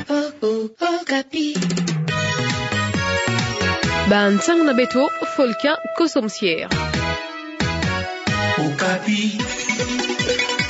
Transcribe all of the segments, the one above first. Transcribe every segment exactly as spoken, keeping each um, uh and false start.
Oh, oh, Okapi. Ba nsangu na beto, Folka Kosomsier. Okapi.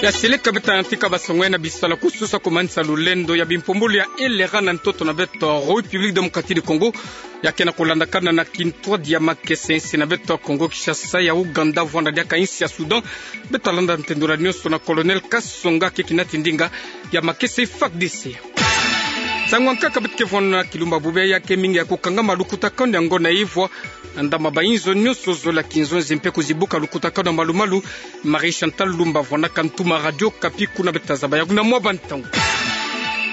Ya seleka beto na tika ba sango na bisalu kususa ku manisa lulendo ya bimpumbulu ya L R A na ntoto na beto République Démocratique du Congo, ya ke na kulandakana na kintwadi ya makesa insi na beto Congo Kinshasa, ya Ouganda, vwanda diaka insi ya Soudan. Beto landa ntendula nionso na Colonel Kasonga, ke kinati ndinga ya makesa F A R D C. Nsangu ya nkaka beto ke vwanda na kilumbu bubu ya ke mingi ya kukangama lukutakanu ya ngo na ivwa, na ndama ba inzo nionso zola kinzonzi mpe kuzibuka lukutakanu ya malu-malu. Marie Chantal Lumba vwanaka ntuma Radio Okapi kuna, beto zaba yaku na mwa ba ntangu.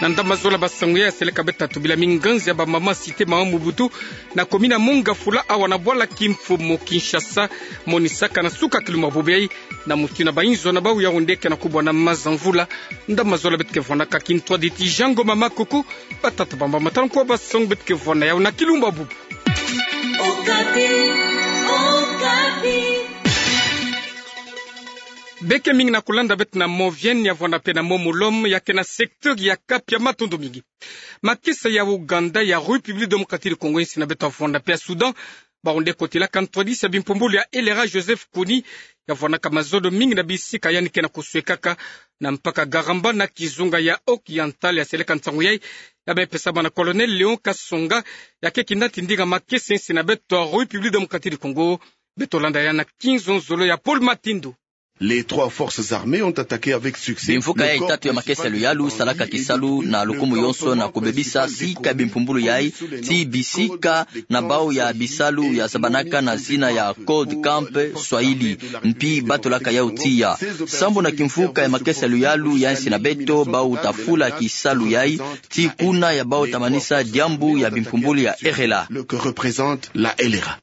Na ndama zola ba sango ya seleka beto tubila minganzi ya ba mama Cité Mama Mobutu na commune ya Mont Ngafula, awa na bwala kimfumu Kinshasa, monisaka na suka kilumbu bubu yayi, na muti na ba inzo na bawu Yaoundé ke na kubwa na maza mvula. Ndama zola beto ke vwanaka kintwadi ti Jango Mama Kuku. Batata, bamama, tala nkwa ba sango beto ke vwanda yawu na kilumbu bubu. Okapi, Okapi. Beke mingi na kulanda beto na Mont Vienne, ya vwanda mpe na Mont Molom, ya ke na secteur ya Cap, ya matondo mingi. Makesa ya Ouganda, ya République Démocratique du Congo, insi na beto ya vwanda mpe ya Soudan, Bawu nde kotilaka ntwadisi ya bimpumbulu ya L R A Joseph Kony, ya vwanaka mazono mingi na bisika yandi ke na kuswekaka na mpaka Garamba na kizunga ya Oriental. Ya seleka nsangu yayi, ya me pesama na Colonel Léon Kasonga, ya ke kinati ndinga makesa insi na beto République Démocratique du Congo. Beto landa ya na kinzonzolo ya Paul Matindu. Les trois forces armées ont attaqué avec succès. Bimvuka yayi tatu ya makesa ya luyalu salaka kisalu na lukumu yonso na kubebisa sika ya bimpumbulu yayi, tii bisika na bawu ya bisalu ya zabanaka na zina ya Code Camp Swahili, mpi batulaka yawu tiya. Sambu na kimvuka ya makesa ya luyalu ya insi na beto, bawu ta fula kisalu yayi, tii kuna ya bawu ta manisa diambu ya bimpumbulu ya L R A. Le que représente la L R A.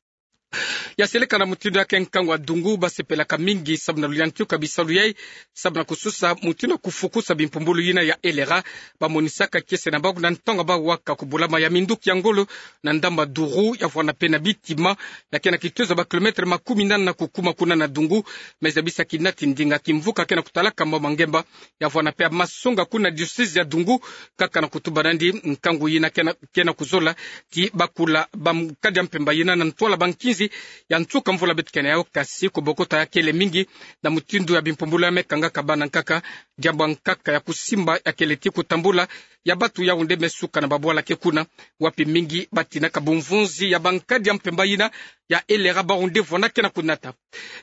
Ya seleka na mutindu ya ke nkangu ya dungu, basepelaka mingi sabu na luyantika bisalu yayi, sabu na kususa mutindu ya kufukusa bimpumbulu yina ya L R A. Bamonisaka kiese na bawu na ntangu ya bawu waka kubulama ya minduki ya ngolo na ndamba Dourou, ya vwanda mpe na Bitima, ya ke na kitezo ya ba kilomètre makumi nana na kukuma kuna na dungu. Mais ya bisa kinati ndinga kimvuka ke na kutalaka mama Ngemba, ya vwanda mpe ya Masonga kuna diocèse ya Dungu, kaka na kutuba nandi nkangu yina ke na, ke na kuzola ti bakula ba nkadi ya mpemba yina na ntwala ba nkinzi ya nsuka mvula beto ke na yawu, kasi kubokota ya kele mingi na mutindu ya bimpumbulu ya me kangaka bana nkaka. Diambu ya nkaka ya kusimba ya kele ti kutambula ya batu Yaoundé me suka na babwala ke kuna, wapi mingi batinaka bumvunzi ya ba nkadi ya mpemba yina ya L R A, bawu nde vwanda ke na kunata.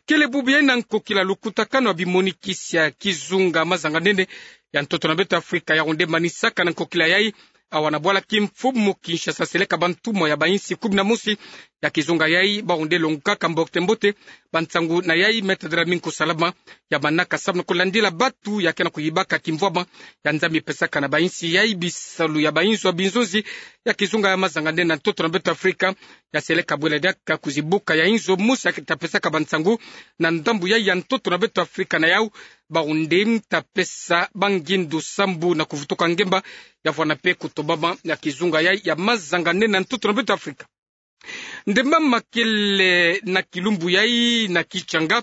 Kele bubu yayi na nkokila lukutakanu ya bimonikisi ya kizunga mazanga-nene ya ntoto na beto Afrika, Yaoundé manisaka na nkokila yayi, awa na bwala kimfumu Kinshasa, seleka bantumwa ya ba insi kumi na mosi ya kizunga yayi, bawu nde longokaka mbote-mbote ba nsangu na yayi me tadila mingi kusalama. Ya manaka samu na kulandila batu ya ke na kuyibaka kimvwama ya Nzambi pesaka na ba insi yayi bisalu ya ba inzo ya binzonzi ya kizunga ya mazanga-nene na ntoto na beto Afrika. Ya seleka bwela diaka kuzibuka ya inzo mosi ya ke ta pesaka ba nsangu na ndambu yayi ya ntoto na beto Afrika, na yawu bawu nde ta pesa ba ngindu sambu na kuvutuka ngemba, ya vwanda mpe kutobama ya kizunga yayi ya mazanga-nene na ntoto na beto Afrika. Nde mama kele na kilumbu yayi na Kitshanga,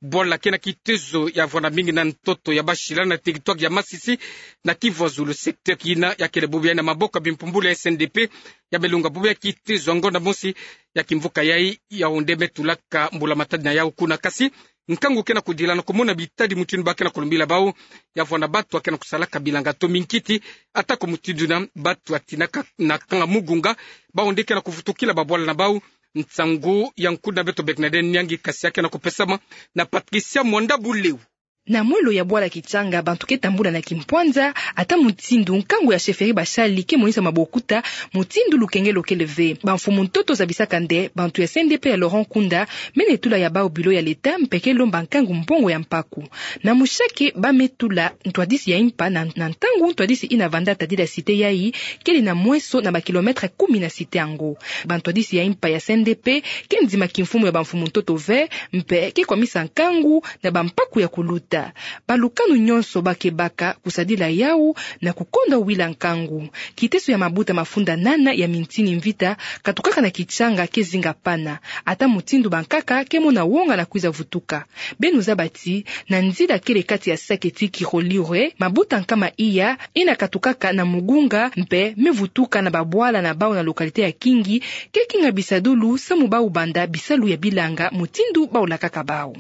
bwala ke na kitezo ya vwanda mingi na ntoto ya Bashila na territoire ya Masisi, na Kivu ya Zulu, secteur yina ya kele bubu yayi na maboko ya bimpumbulu ya S N D P, ya me lunga bubu yayi kitezo ya ngonda mosi ya kimvuka yayi, Yaoundé me tulaka mbula-matadi na yawu kuna, kasi nkangu ke na kudila na kumona bitadi mutindu ba ke na kulumbila bawu, ya vwanda batu ya ke na kusalaka bilanga to minkiti, atako mutindu yina batu ya tinaka na kanga mugunga, bawu nde ke na kuvutukila babwala na bawu. Nsangu ya nkuna beto Bernadette Nyangi, kasi ya ke na kupesama na Patricia Mwanda Buleu. Na mwelo ya bwala Kitshanga, bantu ke tambula na kimpwanza, ata mutindu nkangu ya chefferie Bashali ke monisa mabokuta, mutindu lukengelo kele ve. Bamfumu-ntoto zabisaka nde bantu ya S N D P ya Laurent Nkunda me netula ya bawu bilo ya leta mpe ke lomba nkangu mbongo ya mpaku. Na mushake ba me tula ntwadisi ya impa na, na ntangu ntwadisi yina vanda tadila cité yayi kele na mweso na ba kilomètre kumi na cité yango. Bantwadisi ya impa ya S N D P ke ndima kimfumu ya bamfumu-ntoto ve, mpe ke kwamisa nkangu na bampaku ya kuluta. Balukanu nyonso ba ke baka kusadila yawu na kukonda wila nkangu. Kiteso ya mabuta mafunda nana ya mintini mvita katukaka na kichanga ke zinga pana, ata mutindu bankaka ke mona wonga na kwiza vutuka. Beno zaba ti, na nzila kele kati ya Sake ti Kirorirwe, mabuta nkama iya, ina katukaka na Mugunga, mpe me vutuka na babwala na bawu na localité ya Kingi, ke kinga bisadulu samu bawu banda bisalu ya bilanga mutindu bawu lakaka bawu.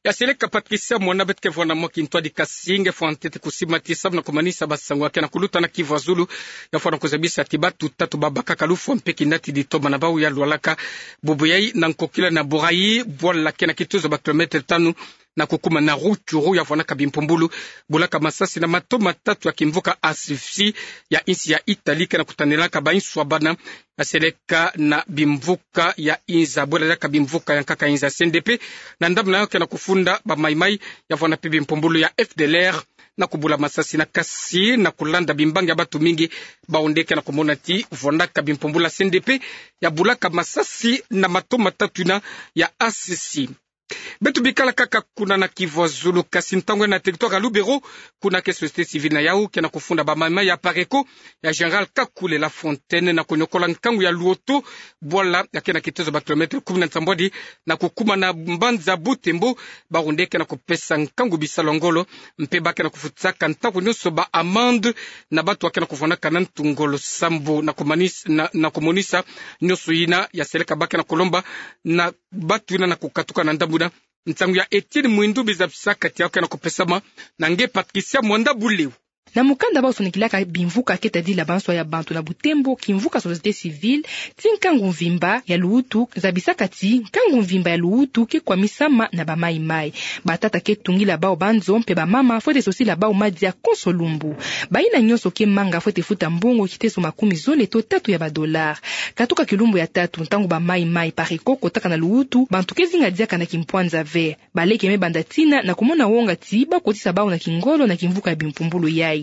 Ya seleka Patricia Mwana, beto ke vwanda mwa kintwadi kasi nge fwa ntete kusimatisa na kumanisa basangu ya ke na kuluta na Kivu ya Zulu, ya fwa na kuzabisa ti batu tatu babakaka lufwa mpe kinatidi toma na bawu ya lwalaka bubu yayi na nkokila na Borayi, bwala ke na kituzu ba kilomètre tanu na kukuma na Rutshuru, ya vwanaka bimpumbulu bulaka masasi na mato matatu ya kimvuka asphyxie ya insi ya Italie ke na kutanelaka banswa bana ya seleka na bimvuka ya inza, bwela diaka bimvuka ya nkaka inza C N D P, na ndambu na yawu ke na kufunda ba Maï-Maï, ya vwanda mpe bimpumbulu ya F D L R na kubula masasi na kasi na kulanda bimbangi ya batu mingi, bawu nde ke na kumona ti vwanaka bimpumbulu ya C N D P ya bulaka masasi na mato matatu ina ya asphyxie. Beto bikala kaka kuna na Kivu ya Zulu, kasi ntangu ya na territoire ya Lubero, kuna ke société civile na yawu ke na kufunda ba Maï-Maï ya Apareco, ya Général Kakule La Fontaine na kunyokola nkangu ya Luoto, bwala ya ke na kituzu ba kilomètre kumi na nsambwadi na kukuma na mbanza Butembo, bawu nde ke na kupesa nkangu bisalu ya ngolo, mpe ba ke na kufutisaka ntangu nyonso ba amende na batu ya ke na kuvwanaka na ntu ngolo sambu na kumanis-, na, na kumonisa nyonso ina ya seleka ba ke na kulomba na batu ina na kukatuka na ndambu ina. Nsangu ya Etienne Mwindu, bizabisaka ti yawu ke na kupesama na nge Patricia Mwanda Buleu. Na mukanda bawu sonikilaka bimvuka ke tadila banswa ya bantu na Butembo, kimvuka société civile ti nkangu mvimba ya luwutu zabisaka ti nkangu mvimba ya luwutu ke kwamisama na ba Maï-Maï. Batata ke tungila bawu banzo mpe bamama fwete sosila bawu madia konso lumbu. Bayina nyonso ke manga fwete futa mbongo kiteso makumi zole to tatu ya ba dollars. Katuka kilumbu ya tatu, ntangu ba Maï-Maï Apareco kotaka na luwutu, bantu ke zinga diaka na kimpwanza ve. Baleke me banda tina na kumona wonga ti ba kotisa bawu na kingolo na kimvuka ya bimpumbulu yayi.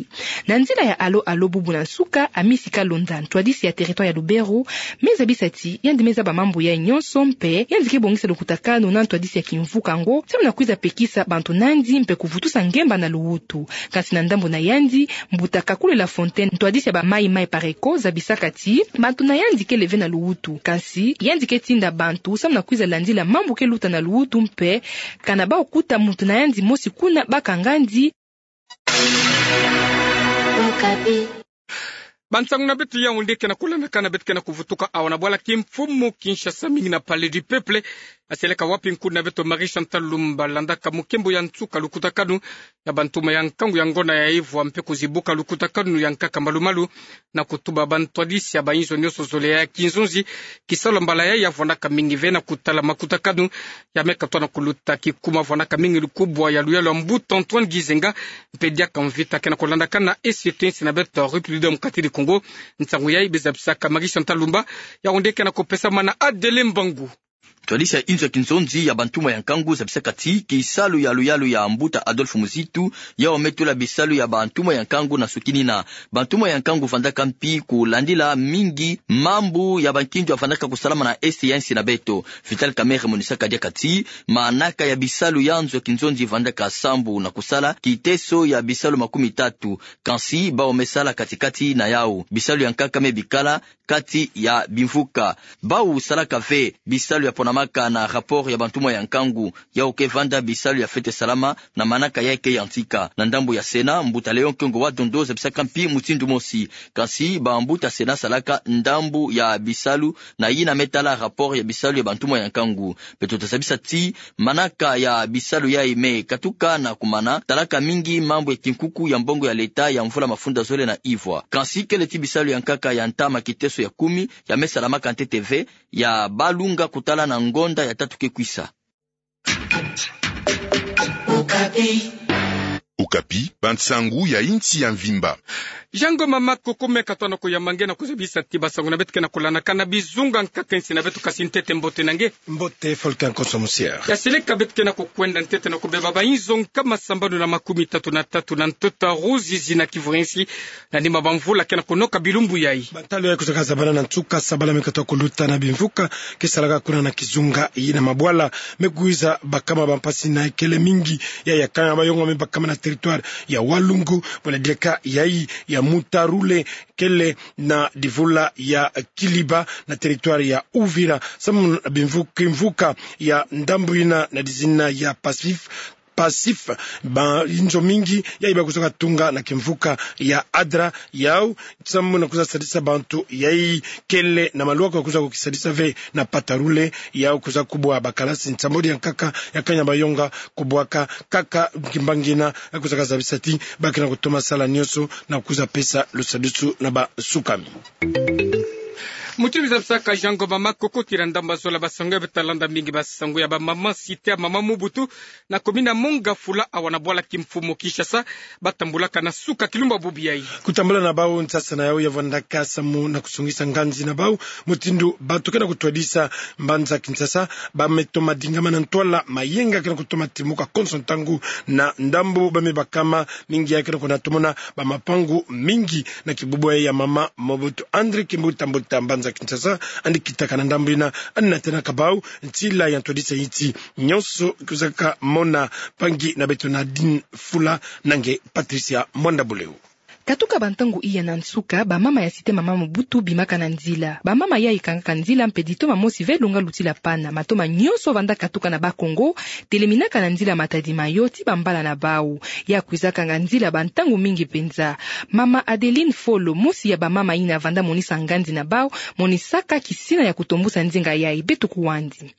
Na nzila ya Alo Alo, bubu na nsuka, Amisi Kalonda, ntwadisi ya territoire ya Lubero, me zabisa ti yandi me zaba mambu yayi nyonso mpe yandi ke bongisa lukutakanu na ntwadisi ya kimvuka yango samu na kwiza pekisa bantu na yandi mpe kuvutusa ngemba na luwutu. Kasi na ndambu na yandi, mbuta Kakule La Fontaine, ntwadisi ya ba Maï-Maï Apareco, zabisaka ti bantu na yandi kele ve na luwutu. Kasi yandi ke tinda bantu samu na kwiza landila mambu ke luta na luwutu mpe kana bawu kuta muntu na yandi mosi kuna ba kanga yandi. Bansangu na beto yawu nde ke na kulandakana, beto ke na kuvutuka awa na bwala kimfumu Kinshasa, mingi na Palais du Peuple, ya seleka wapi nkuna na beto Marie Chantal Lumba landaka mukembo ya nsuka lukutakanu ya bantuma ya nkangu ya ngonda ya ivwa mpe kuzibuka lukutakanu ya nkaka malu-malu, na kutuba bantwadisi ya bayinzo nyonso zole ya kinzonzi, kisalu mbala yayi ya vwanaka mingi ve na kutala makutakanu ya me katwa na kuluta kikuma vwanaka mingi lukubwa ya luyalu ya mbuta Antoine Gizenga, mpe diaka mvita ke na kulandakana esi yeto insi na beto République Démocratique du Congo. Nsangu yayi bizabisaka Marie Chantal Lumba, yawu nde ke na kupesama na Adele Mbangu. Ntwadisi ya inzo ya kinzonzi ya bantuma ya nkangu zabisaka ti kisalu ya luyalu ya mbuta Adolphe Muzitu, yawu me tula bisalu ya bantuma ya nkangu na nsukinina. Bantuma ya nkangu vandaka mpi kulandila mingi mambu ya bankindu ya vandaka kusalama na esti ya insi na beto. Vital Kamerhe monisaka diaka ti manaka ya bisalu ya nzo ya kinzonzi vandaka sambu na kusala kiteso ya bisalu makumi tatu, kansi bawu me sala kati-kati na yawu. Bisalu ya nkaka me bikala kati ya bimvuka. Bawu salaka ve bisalu ya ponamaka na rapport ya bantuma ya nkangu, yawu ke vanda bisalu ya fwete salama na manaka yayi ke yantika. Na ndambu ya Sénat, mbuta Léon Kengo wa Dondo zabisaka mpi mutindu mosi. Kansi bambuta Sénat salaka ndambu ya bisalu na yina me tala rapport ya bisalu ya bantuma ya nkangu. Beto tazabisa ti manaka ya bisalu yayi me katuka na kumana, talaka mingi mambu ya kinkuku ya mbongo ya leta ya mvula mafunda zole na ivwa. Kansi kele ti bisalu ya nkaka ya ntama kiteso ya kumi ya me salamaka ntete ve, ya balunga kutala na ngonda ya tatu ke kwisa. Okapi, bansangu ya insi ya mvimba. Jango mama Koko, meka twa na kuyamba nge na kuzabisa ti bansangu na beto ke na kulanaka na bizunga nkaka insi na beto, kasi ntete mbote na nge. Mbote Volcan Konso Musier. Ya seleka beto ke na kukwenda ntete na kubeba bainzo nkama sambanu na makumi tatu na tatu na ntuta Ruzizi na Kivu ya insi, na nima bamvula ke na kunoka bilumbu yayi. Bantalu yayi kuzaka zabana na nsuka, sabala me kata kuluta na bimvuka ke salaka kuna na kizunga yina, mabwala me kwiza bakama, bampasi na ekele mingi ya, ya kanga mayonga me bakama na territoire ya Walungu, buna diaka yayi ya Mutarule, kele na divula ya Kiliba na territoire ya Uvira, samu na bimvu-, kimvuka ya ndambu yina na dizina ya Pasif, Pasif, bainzo mingi yayi ba kuzaka tunga na kimvuka ya Adra, yau samu na kwiza sadisa bantu yayi, kele na maluka kwiza kukisadisa ve na Patarule, yau kwiza kubwa bakalasi nsambwadi ya nkaka ya kanya mayonga kubwaka kaka kimbangi yina ya kuzaka zabisa ti ba ke na kutoma sala nyonso na kwiza pesa lusadisu na basukami. Mutindu zabisaka Jango mama Koko, tira ndambu zola bansangu ya, beta landa mingi bansangu ya bamama site ya Mama Mobutu na commune ya Mont-Ngafula, awa na bwala kimfumu Kinshasa, batambulaka na suka kilumbu bubu yayi. Kutambula na bau nsasa na yau ya vandaka samu na kusongisa nganzi na bau, mutindu bantu ke na kutwadisa mbanza Kinshasa ba me toma dingama na ntwala mayenga ke na kutoma timuka konso ntangu, na ndambu ba me bakama mingi ya ke na kuna tomona bamapangu mingi na kibubu ya Mama Mobutu. André Kimbuta, mbuta mbanza Kinshasa, yandi kitaka na ndambu yina, yandi natênaka bau ntila ya ntwadisa insi nyonso. Kuzaka mona mpangi na beto Nadine Fula na nge Patricia Mwanda Buleu. Katuka bantangu iya na nsuka, bamama ya site Mama Mobutu bimaka na nzila. Bamama yayi kangaka nzila mpe ditoma mosi ve lunga lutila pana. Matoma nyonso vandaka katuka na Bas-Congo teleminaka na nzila Matadi-Mayo ti bambala na bau. Ya kwiza kanga nzila bantangu mingi mpenza. Mama Adeline Folo, mosi ya bamama yina vanda monisa nganzi na bau, monisaka kisina ya kutombusa nzinga yayi. Beto kuwandi.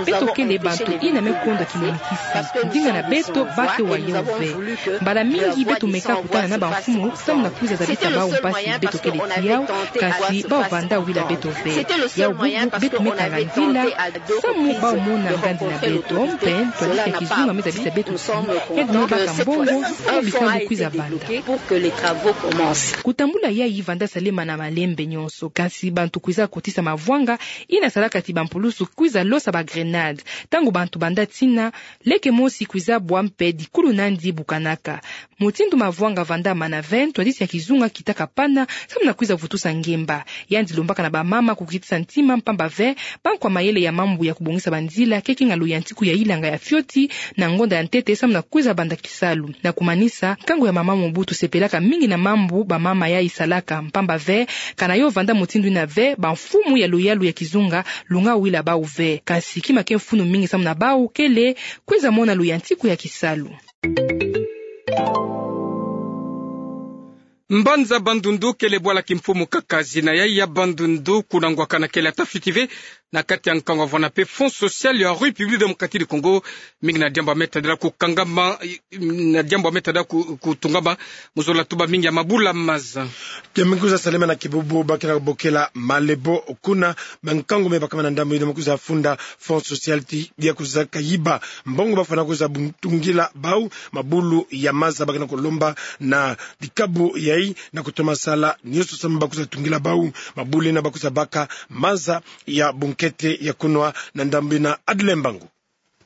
Beto kele bantu yina me konda kimonikisi. Nzinga na beto ba ke wa yau ve. Mbala mingi beto meka kutana na bamfumu samu na kwiza zabisa bau mpasi beto kele ti yau, kasi bau vanda wila beto ve. Yau bubu beto me kanga nzila samu bau mona nganzi na beto, mpe ntwadisi ya kizunga me zabisa beto ti yandi me baka mbongo samu bisambu kwiza banda. Kutambula yayi vanda salema na malembe nyonso, kasi bantu kwiza kotisa mavwanga yina salaka ti bampulusu kwiza losa bagrenade. Ntangu bantu banda tina, leke mosi kwiza bwa mpe dikulu na yandi bukanaka. Mutindu mavwanga vanda mana ve, ntwadisi ya kizunga kitaka pana samu na kwiza vutusa ngemba. Yandi lombaka na bamama kukitisa ntima, mpamba ve bankwa mayele ya mambu ya kubongisa banzila ke kinga luyantiku ya yilanga ya fioti na ngonda ya ntete samu na kwiza banda kisalu. Na kumanisa, nkangu ya Mama Mobutu sepelaka mingi na mambu bamama yayi salaka, mpamba ve kana yo vanda mutindu yina ve, bamfumu ya luyalu ya kizunga lunga wila bau ve. Kasi kima ke mfunu mingi samu na bau kele kwiza mona luyantiku ya kisalu. Mbanza Bandundu kele bwala kimfumu kaka. Zina yayi ya Bandundu, kuna ngwakana kele ata fioti ve na kati ya nkangu wavana mpe Fonds Social ya République Démocratique du Congo. Mingi na diambu me tadila kukangama, na diambu me tadila ku-, kutungama mu zola tuba mingi ya mabula maza. Ke me kwiza salema na kibubu ba ke na bokela Malebo, kuna bankangu me bakama na ndambu yina me kwiza funda Fonds Social ti ya kwiza kayiba mbongo bafwana kwiza bu-, tungila bau mabulu ya maza. Ba ke na kulomba na dikabu yayi na kutoma sala nyonso samu ba kwiza tungila bau mabulu yina ba kwiza baka maza ya bunkete ya kunwa na ndambu yina. Adle Mbangu.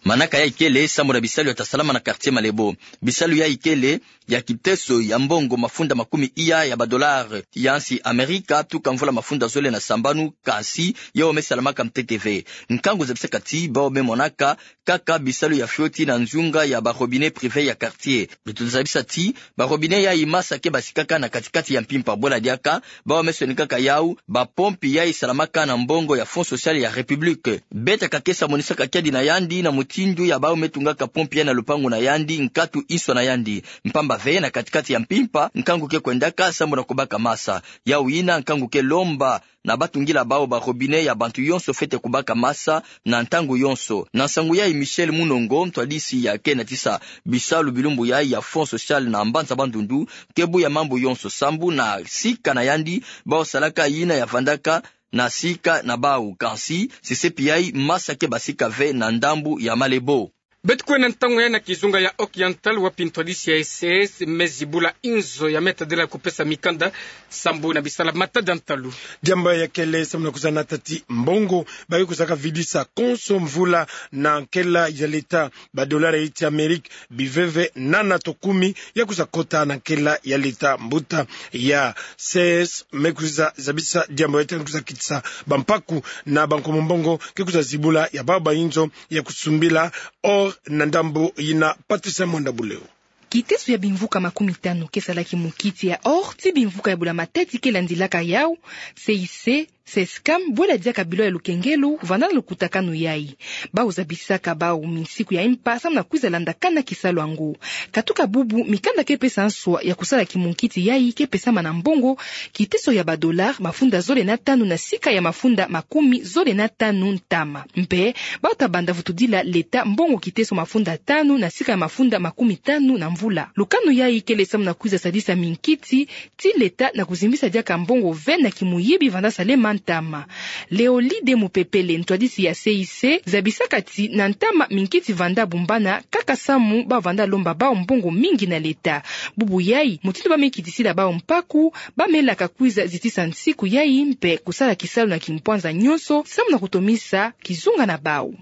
Manaka yayi kele samu na bisalu ya ta salama na quartier Malebo. Bisalu yayi kele ya kiteso ya mbongo mafunda makumi iya ya ba dollars ya nsi Amerika tuka mvula mafunda zole na sambanu, kasi yawu me salamaka ntete ve. Nkangu zabisaka ti bawu me monaka kaka bisalu ya fioti na nzunga ya ba robinet privé ya quartier. Beto zabisa ti ba robinet yayi masa ke basikaka na kati-kati ya mpimpa, bwela diaka bawu me sonikaka yawu ba pompe yayi salamaka na mbongo ya Fonds Social ya République. Beta Kakesa monisaka kiadi na yandi na mutindu ya bawu me tungaka pompe yayi na lupangu na yandi nkatu inso na yandi. Mpamba ve na kati-kati ya mpimpa, nkangu ke kwendaka samu na kubaka masa. Yawu yina nkangu ke lomba na ba tungila bawu ba robinet ya bantu yonso fwete kubaka masa na ntangu yonso. Na nsangu yayi, Michel Munongo, ntwadisi ya ke natisa bisalu bilumbu yayi ya Fonds Social na mbanza Bandundu, ke buya mambu yonso sambu na sika na yandi bawu salaka yina ya vandaka na sika na bawu. Kansi, sesepi yayi masa ke basika ve na ndambu ya Malebo. Beto kwe na ntangu ya na kizunga ya Occidental, wapi ntwadisi ya S E S me zibula inzo ya me tadila kupesa mikanda sambu na bisala matadi ya ntalu. Diambu ya kele samu na kwiza nata ti mbongo ba ke kwiza kavidisa konso mvula na nkela ya leta, ba dollar ya insi ya Amerika, biveve nana to kumi ya kwiza kota na nkela ya leta. Mbuta ya S E S me kwiza zabisa diambu ya tena kwiza kitisa bampaku na bankomo mbongo ke kwiza zibula ya bau ba inzo ya kusumbila or na ndambu yina. Patricia Mwanda Buleo. Kiteso ya bimvuka makumi tanu ke salaki mukiti ya or ti bimvuka ya bula matadi ke landilaka yau, C I C, Cescam, bwela diaka bilo ya lukengelo vandana lukutakanu yai. Bau zabisaka bau minsiku ya impa samu na kwiza landakana kisalu yango. Katuka bubu, mikanda ke pesa nswa ya kusala kimukiti yai ke pesama na mbongo kiteso ya ba dollar mafunda zole na tanu na sika ya mafunda makumi zole na tanu ntama. Mpe bau tabanda vutudila leta mbongo kiteso mafunda tanu na sika ya mafunda makumi tanu na mvula. Lukanu yai kele samu na kwiza sadisa minkiti ti leta na kuzimbisa diaka mbongo ve na kimuyibi vanda salema ntama. Leolide Mupepele, ntwadisi ya C I C, zabisaka ti na ntama minkiti vanda bumbana kaka samu bau vanda lomba bau mbongo mingi na leta. Bubu yai mutindu ba me kitisila bau mpaku, ba melaka kwiza zitisa nsiku yai mpe kusala kisalu na kimpwanza nyonso samu na kutomisa kizunga na bau.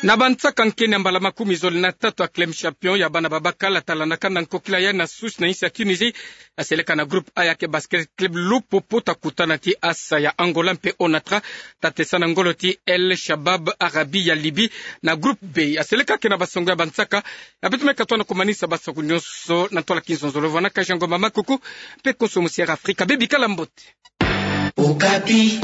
Na bansaka nkeni ya mbala makumi zole na tatu ya Clem Champion ya bana babakala talandakana nkokila ya na Sousse na insi ya Tunisie, aseleka na groupe A ya ke Basket Club Lupopo ta kutana ti Assa ya Angola mpe Onatra ta tesa na ngolo ti El Shabab Arabi ya Libye. Na groupe B, aseleka ke na basongo ya bansaka. Ya beto me katoa na kumanisa basaku nyonso na ntwala kinzonzolo vana ka Jean Ngoma Makuku mpe konso musi Air Afrika. Bebikala mbote. Okapi.